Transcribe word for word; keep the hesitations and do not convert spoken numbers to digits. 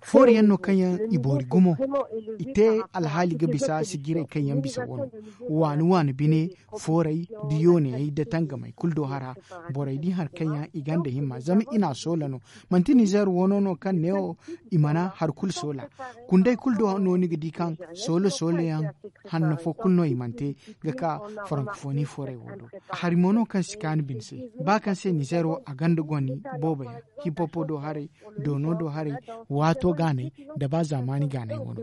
Foori yaŋ no kaŋ yaŋ i boori gumo, i te alhaali ga bisa sijirey kaŋ yaŋ bisa wano, waani waani bine, fooray, da yooniyey da tangamey kulu do hara. Borey di hari kaŋ yaŋ i gonda himma zama i n'a soola no. Manti nizeer wano no kaŋ neewo i mana hari kulu soola. Kundey kulu do no ni ga di kaŋ soola soola yaŋ hanno fo kulu no i mana te ga ka farankofoni fooray wo do. Hari mo no kaŋ si kaanu bine se, ba kaŋ se nizeer wo a gonda goni boobo yaŋ, hipopo do haray, doono do haray, waato gaanay, nda ba zaamaani gaanay wano.